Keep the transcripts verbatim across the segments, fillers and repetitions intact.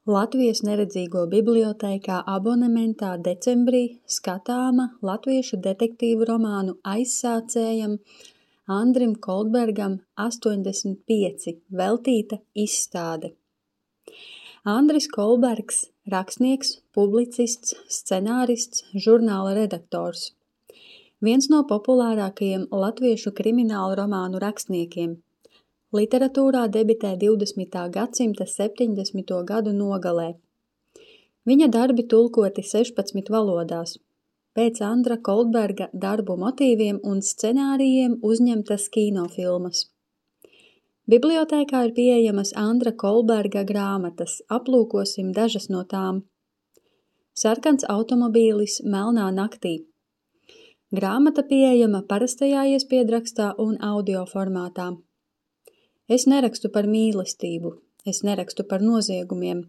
Latvijas neredzīgo bibliotēkā abonementā decembrī skatāma latviešu detektīvu romānu aizsācējam Andrim Koldbergam astoņdesmit pieci veltīta izstāde. Andris Koldbergs – rakstnieks, publicists, scenārists, žurnāla redaktors. Viens no populārākajiem latviešu kriminālu romānu rakstniekiem. Literatūrā debitē divdesmitā gadsimta septiņdesmito gadu nogalē. Viņa darbi tulkoti sešpadsmit valodās. Pēc Andra Koldberga darbu motīviem un scenārijiem uzņemtas kinofilmas. Bibliotēkā ir pieejamas Andra Koldberga grāmatas, aplūkosim dažas no tām. Sarkans automobīlis melnā naktī. Grāmata pieejama parastajā iespiedrakstā un audio formātā. Es nerakstu par mīlestību, es nerakstu par noziegumiem.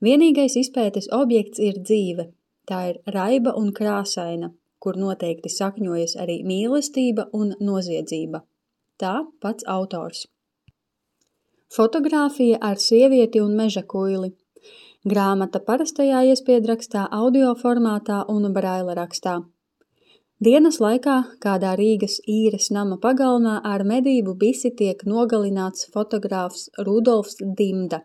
Vienīgais izpētes objekts ir dzīve. Tā ir raiba un krāsaina, kur noteikti sakņojas arī mīlestība un noziedzība. Tā pats autors. Fotogrāfija ar sievieti un meža kuili. Grāmata parastajā iespiedrakstā, audio formātā un braila rakstā. Dienas laikā kādā Rīgas īres nama pagalmā ar medību bisi tiek nogalināts fotogrāfs Rudolfs Dimda.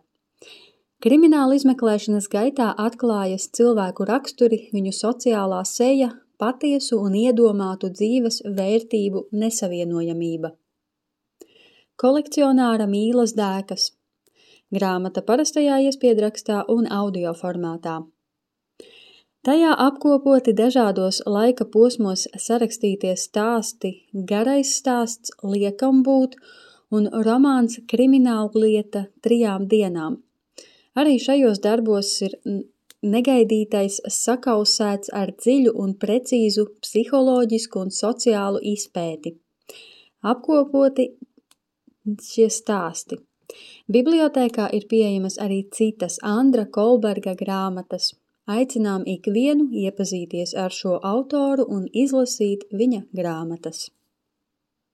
Krimināla izmeklēšanas gaitā atklājas cilvēku raksturi, viņu sociālā seja, patiesu un iedomātu dzīves vērtību nesavienojamība. Kolekcionāra mīlas dēkas. Grāmata parastajā iespiedrakstā un audio formātā. Tajā apkopoti dažādos laika posmos sarakstītie stāsti, garais stāsts Liekam būt un romāns Krimināllieta trijām dienām. Arī šajos darbos ir negaidītais sakausēts ar dziļu un precīzu psiholoģisku un sociālu izpēti. Apkopoti šie stāsti. Bibliotēkā ir pieejamas arī citas Andra Koldberga grāmatas. Aicinām ikvienu iepazīties ar šo autoru un izlasīt viņa grāmatas.